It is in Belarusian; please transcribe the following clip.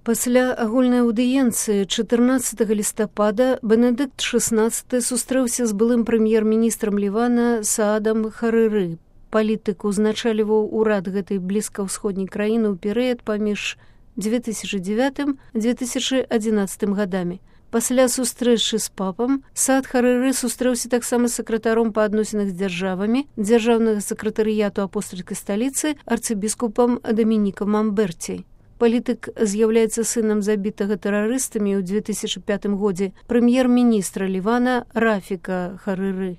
Пасля агульнай аўдыенцыі 14 лістапада Бенедыкт XVI сустрэўся з былым прэм'ер-міністрам Лівана Саадам Харыры. Палітык узначальваў урад гэтай блізкаўсходняй краіны ў перыяд паміж 2009-2011 гадамі. Пасля сустрэчы з папам Саад Харыры сустрэўся таксама з сакратаром па адносінах з дзяржавамі дзяржаўнага сакратарыяту апостальскай сталіцы арцыбіскупам Дамінікам Мамберцей. Палітык з'яўляецца сынам забітага тэрарыстамі ў 2005 годзе прэм'ер-міністра Лівана Рафіка Харыры.